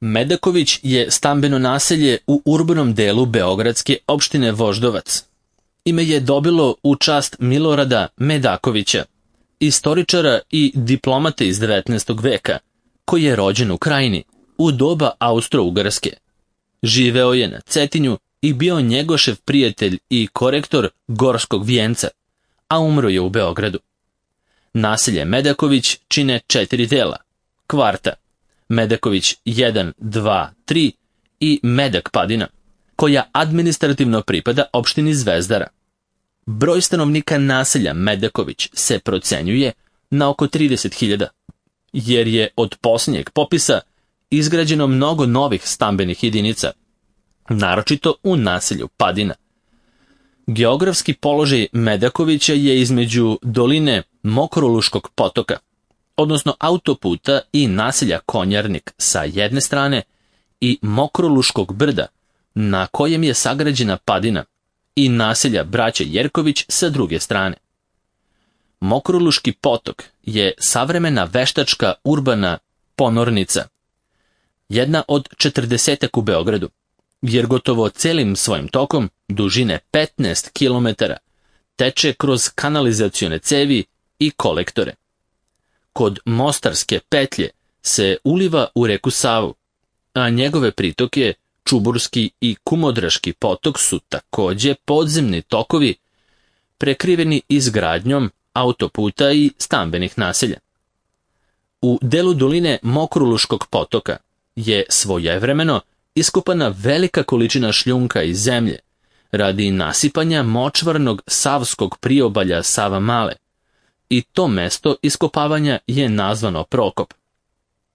Medaković je stambeno naselje u urbanom delu beogradske opštine Voždovac. Ime je dobilo u čast Milorada Medakovića, istoričara i diplomate iz 19. veka, koji je rođen u Krajini u doba Austro-Ugarske. Živeo je na Cetinju i bio Njegošev prijatelj i korektor Gorskog vijenca, a umro je u Beogradu. Naselje Medaković čine 4 dela: kvarta Medaković 1, 2, 3 i Medak Padina, koja administrativno pripada opštini Zvezdara. Broj stanovnika naselja Medaković se procenjuje na oko 30.000, jer je od posljednjeg popisa izgrađeno mnogo novih stambenih jedinica, naročito u naselju Padina. Geografski položaj Medakovića je između doline Mokroluškog potoka, odnosno autoputa i naselja Konjarnik sa jedne strane i Mokroluškog brda, na kojem je sagrađena Padina, i naselja braće Jerković sa druge strane. Mokroluški potok je savremena veštačka urbana ponornica, jedna od 40 u Beogradu, jer gotovo celim svojim tokom, dužine 15 km, teče kroz kanalizacione cevi i kolektore. Kod Mostarske petlje se uliva u reku Savu, a njegove pritoke Čuburski i Kumodraški potok su takođe podzemni tokovi prekriveni izgradnjom autoputa i stambenih naselja. U delu doline Mokroluškog potoka je svojevremeno iskopana velika količina šljunka i zemlje radi nasipanja močvarnog savskog priobalja Sava Male, i to mesto iskopavanja je nazvano Prokop.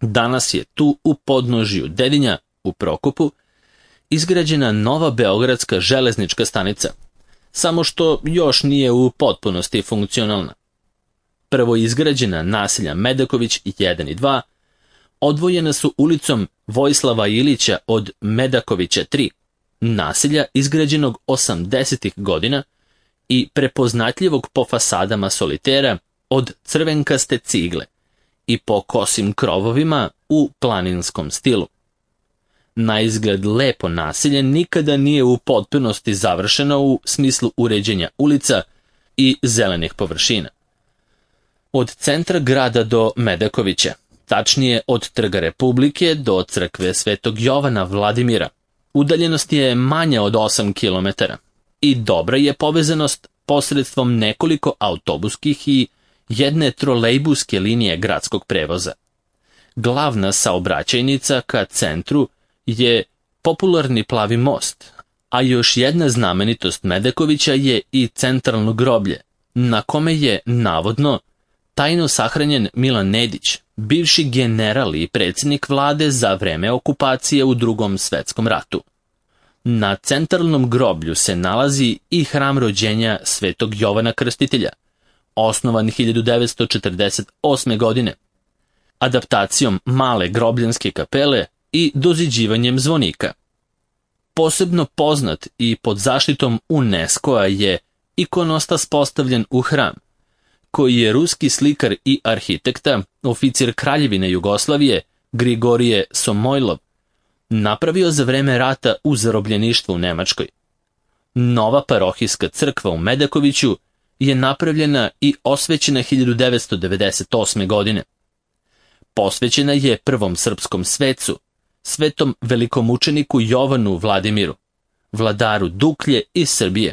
Danas je tu u podnožju Dedinja u Prokopu izgrađena nova beogradska železnička stanica, samo što još nije u potpunosti funkcionalna. Prvo izgrađena naselja Medaković 1 i 2 odvojena su ulicom Vojislava Ilića od Medakovića 3, naselja izgrađenog 80. godina i prepoznatljivog po fasadama solitera od crvenkaste cigle i po kosim krovovima u planinskom stilu. Na izgled lepo naselje nikada nije u potpunosti završeno u smislu uređenja ulica i zelenih površina. Od centra grada do Medakovića, tačnije od Trga Republike do crkve Svetog Jovana Vladimira, udaljenost je manja od 8 km i dobra je povezanost posredstvom nekoliko autobuskih i jedne trolejbuske linije gradskog prevoza. Glavna saobraćajnica ka centru je popularni Plavi most, a još jedna znamenitost Medakovića je i centralno groblje, na kome je, navodno, tajno sahranjen Milan Nedić, bivši general i predsjednik vlade za vreme okupacije u Drugom svetskom ratu. Na centralnom groblju se nalazi i hram rođenja Svetog Jovana Krstitelja, osnovan 1948. godine, adaptacijom male grobljanske kapele i doziđivanjem zvonika. Posebno poznat i pod zaštitom UNESCO-a je ikonostas postavljen u hram, koji je ruski slikar i arhitekta, oficir Kraljevine Jugoslavije, Grigorije Somojlov, napravio za vreme rata u zarobljeništvu u Nemačkoj. Nova parohijska crkva u Medakoviću je napravljena i osvećena 1998. godine. Posvećena je prvom srpskom svecu, svetom velikomučeniku Jovanu Vladimiru, vladaru Duklje iz Srbije,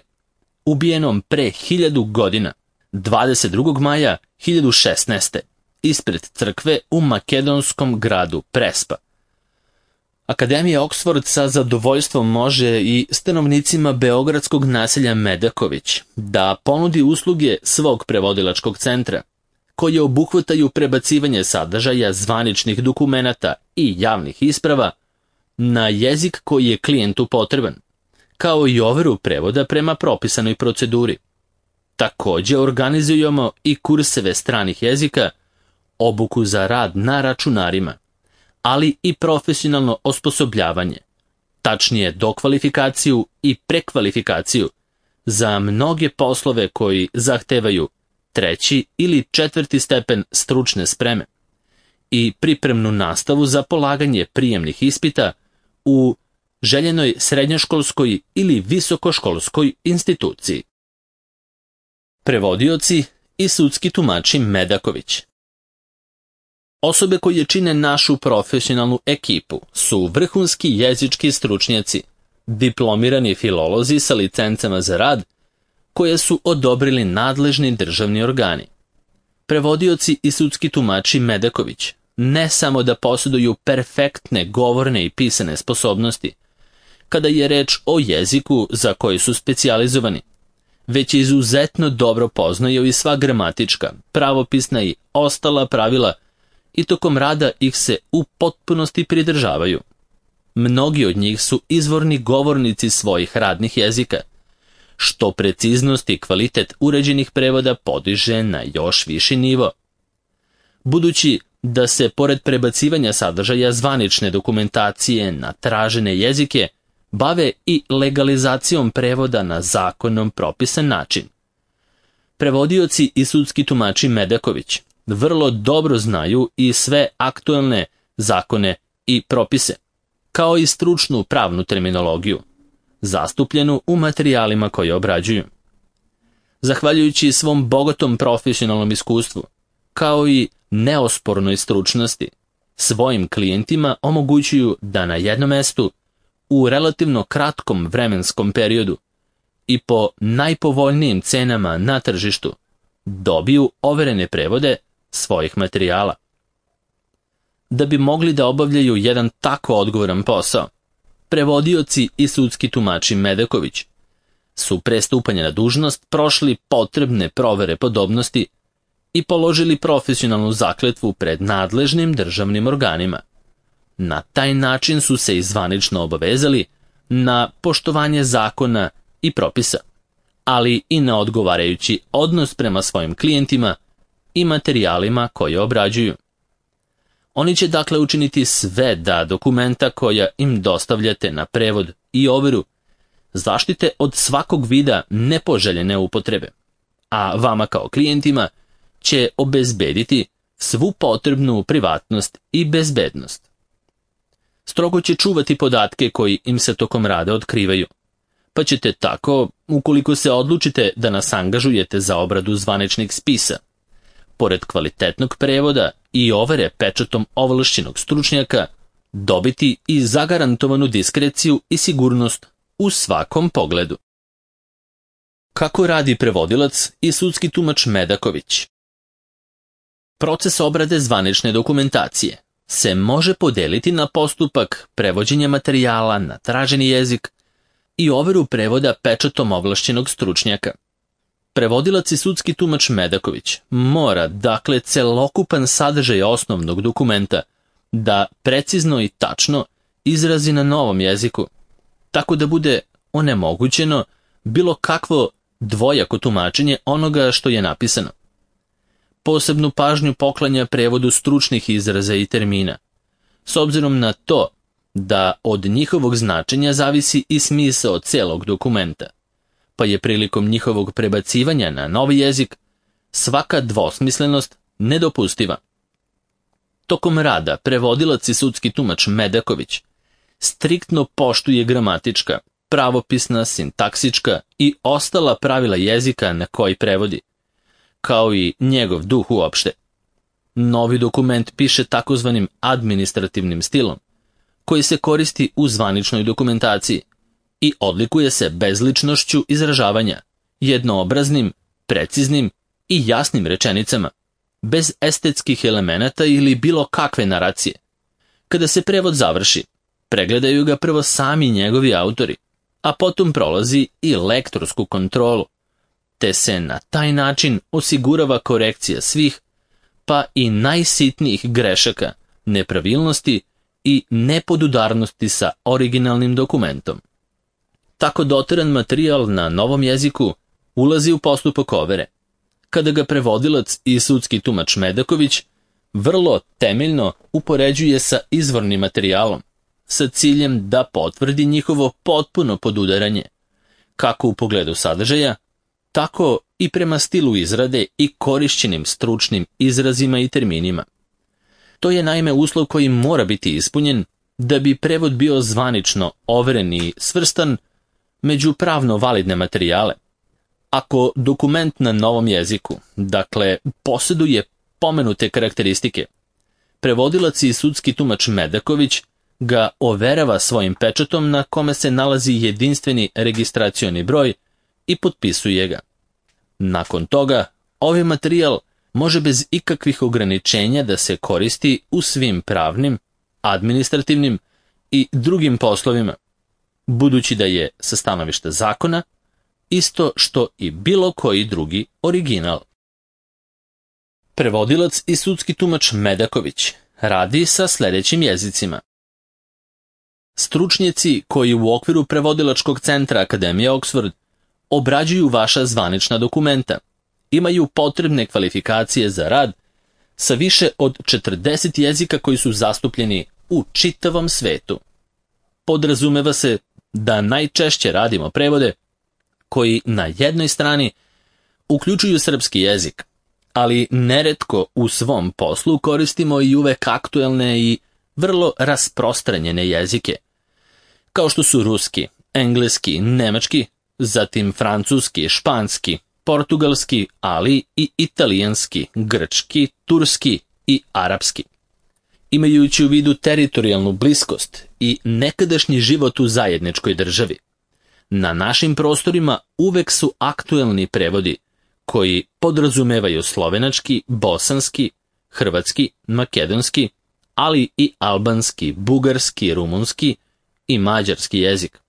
ubijenom pre 1000 godina, 22. maja 1016. ispred crkve u makedonskom gradu Prespa. Akademija Oxford sa zadovoljstvom može i stanovnicima beogradskog naselja Medaković da ponudi usluge svog prevodilačkog centra, koje obuhvataju prebacivanje sadržaja zvaničnih dokumenata i javnih isprava na jezik koji je klijentu potreban, kao i overu prevoda prema propisanoj proceduri. Također organizujemo i kurseve stranih jezika, obuku za rad na računarima, ali i profesionalno osposobljavanje, tačnije dokvalifikaciju i prekvalifikaciju za mnoge poslove koji zahtevaju 3. ili 4. stepen stručne spreme i pripremnu nastavu za polaganje prijemnih ispita u željenoj srednjoškolskoj ili visokoškolskoj instituciji. Prevodioci i sudski tumači Medaković. Osobe koje čine našu profesionalnu ekipu su vrhunski jezički stručnjaci, diplomirani filolozi sa licencama za rad, koje su odobrili nadležni državni organi. Prevodioci i sudski tumači Medaković ne samo da posjeduju perfektne govorne i pisane sposobnosti, kada je reč o jeziku za koji su specijalizovani, već izuzetno dobro poznaju i sva gramatička, pravopisna i ostala pravila i tokom rada ih se u potpunosti pridržavaju. Mnogi od njih su izvorni govornici svojih radnih jezika, što preciznost i kvalitet uređenih prevoda podiže na još viši nivo. Budući da se pored prebacivanja sadržaja zvanične dokumentacije na tražene jezike bave i legalizacijom prevoda na zakonom propisan način. Prevodioci i sudski tumači Medaković vrlo dobro znaju i sve aktuelne zakone i propise, kao i stručnu pravnu terminologiju, zastupljenu u materijalima koje obrađuju. Zahvaljujući svom bogatom profesionalnom iskustvu, kao i neospornoj stručnosti, svojim klijentima omogućuju da na jednom mestu, u relativno kratkom vremenskom periodu i po najpovoljnijim cenama na tržištu, dobiju overene prevode svojih materijala. Da bi mogli da obavljaju jedan tako odgovoran posao, prevodioci i sudski tumači Medaković su pre stupanja na dužnost prošli potrebne provere podobnosti i položili profesionalnu zakletvu pred nadležnim državnim organima. Na taj način su se i zvanično obavezali na poštovanje zakona i propisa, ali i na odgovarajući odnos prema svojim klijentima i materijalima koje obrađuju. Oni će dakle učiniti sve da dokumenta koja im dostavljate na prevod i overu zaštite od svakog vida nepoželjene upotrebe, a vama kao klijentima će obezbediti svu potrebnu privatnost i bezbednost. Strogo će čuvati podatke koji im se tokom rada otkrivaju, pa ćete tako, ukoliko se odlučite da nas angažujete za obradu zvaničnih spisa, pored kvalitetnog prevoda i overe pečatom ovlašćenog stručnjaka, dobiti i zagarantovanu diskreciju i sigurnost u svakom pogledu. Kako radi prevodilac i sudski tumač Medaković? Proces obrade zvanične dokumentacije se može podeliti na postupak prevođenja materijala na traženi jezik i overu prevoda pečatom ovlašćenog stručnjaka. Prevodilac i sudski tumač Medaković mora, dakle, celokupan sadržaj osnovnog dokumenta da precizno i tačno izrazi na novom jeziku, tako da bude onemogućeno bilo kakvo dvojako tumačenje onoga što je napisano. Posebnu pažnju poklanja prevodu stručnih izraza i termina, s obzirom na to da od njihovog značenja zavisi i smisao celog dokumenta, pa je prilikom njihovog prebacivanja na novi jezik svaka dvosmislenost nedopustiva. Tokom rada prevodilac i sudski tumač Medaković striktno poštuje gramatička, pravopisna, sintaksička i ostala pravila jezika na koji prevodi, kao i njegov duh uopšte. Novi dokument piše takozvanim administrativnim stilom, koji se koristi u zvaničnoj dokumentaciji i odlikuje se bezličnošću izražavanja, jednoobraznim, preciznim i jasnim rečenicama, bez estetskih elemenata ili bilo kakve naracije. Kada se prevod završi, pregledaju ga prvo sami njegovi autori, a potom prolazi i lektorsku kontrolu, te se na taj način osigurava korekcija svih, pa i najsitnijih grešaka, nepravilnosti i nepodudarnosti sa originalnim dokumentom. Tako doteran materijal na novom jeziku ulazi u postupak overe, kada ga prevodilac i sudski tumač Medaković vrlo temeljno upoređuje sa izvornim materijalom, sa ciljem da potvrdi njihovo potpuno podudaranje, kako u pogledu sadržaja, tako i prema stilu izrade i korišćenim stručnim izrazima i terminima. To je naime uslov koji mora biti ispunjen da bi prevod bio zvanično overen i svrstan među pravno validne materijale. Ako dokument na novom jeziku, dakle, posjeduje pomenute karakteristike, prevodilac i sudski tumač Medaković ga overava svojim pečatom na kome se nalazi jedinstveni registracioni broj i potpisuje ga. Nakon toga, ovaj materijal može bez ikakvih ograničenja da se koristi u svim pravnim, administrativnim i drugim poslovima, budući da je sa stanovišta zakona isto što i bilo koji drugi original. Prevodilac i sudski tumač Medaković radi sa sljedećim jezicima. Stručnjaci koji u okviru prevodilačkog centra Akademije Oxford obrađuju vaša zvanična dokumenta, imaju potrebne kvalifikacije za rad sa više od 40 jezika koji su zastupljeni u čitavom svetu. Podrazumeva se da najčešće radimo prevode koji na jednoj strani uključuju srpski jezik, ali neretko u svom poslu koristimo i uvek aktuelne i vrlo rasprostranjene jezike, kao što su ruski, engleski, nemački, zatim francuski, španski, portugalski, ali i italijanski, grčki, turski i arapski. Imajući u vidu teritorijalnu bliskost i nekadašnji život u zajedničkoj državi, na našim prostorima uvek su aktuelni prevodi koji podrazumevaju slovenački, bosanski, hrvatski, makedonski, ali i albanski, bugarski, rumunski i mađarski jezik.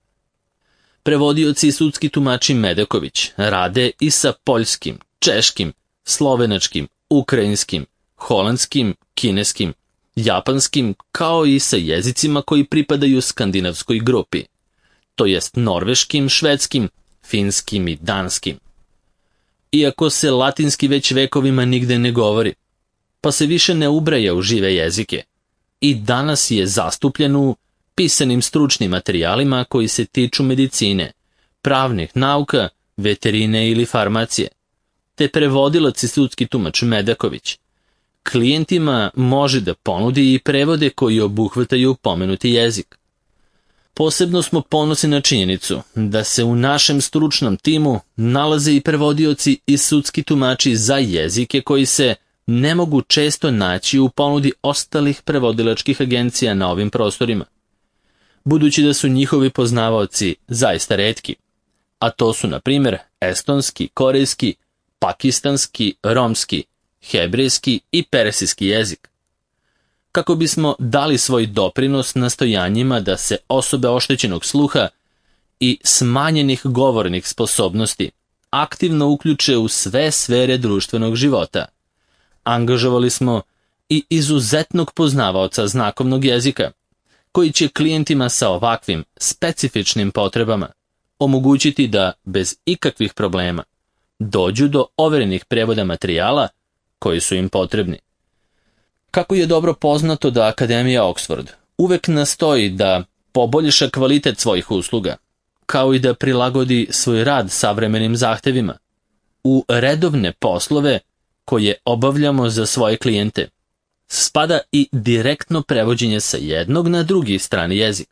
Prevodioci i sudski tumači Medaković rade i sa poljskim, češkim, slovenačkim, ukrajinskim, holandskim, kineskim, japanskim, kao i sa jezicima koji pripadaju skandinavskoj grupi, to jest norveškim, švedskim, finskim i danskim. Iako se latinski već vekovima nigde ne govori, pa se više ne ubraja u žive jezike, i danas je zastupljen u pisanim stručnim materijalima koji se tiču medicine, pravnih nauka, veterine ili farmacije, te prevodilac i sudski tumač Medaković klijentima može da ponudi i prevode koji obuhvataju pomenuti jezik. Posebno smo ponosni na činjenicu da se u našem stručnom timu nalaze i prevodioci i sudski tumači za jezike koji se ne mogu često naći u ponudi ostalih prevodilačkih agencija na ovim prostorima, budući da su njihovi poznavaoci zaista retki, a to su na primjer estonski, korejski, pakistanski, romski, hebrejski i persijski jezik. Kako bismo dali svoj doprinos nastojanjima da se osobe oštećenog sluha i smanjenih govornih sposobnosti aktivno uključe u sve sfere društvenog života, angažovali smo i izuzetnog poznavaoca znakovnog jezika, koji će klijentima sa ovakvim specifičnim potrebama omogućiti da bez ikakvih problema dođu do overenih prevoda materijala koji su im potrebni. Kako je dobro poznato da Akademija Oxford uvek nastoji da poboljša kvalitet svojih usluga, kao i da prilagodi svoj rad savremenim zahtevima, u redovne poslove koje obavljamo za svoje klijente spada i direktno prevođenje sa jednog na drugi strani jezik.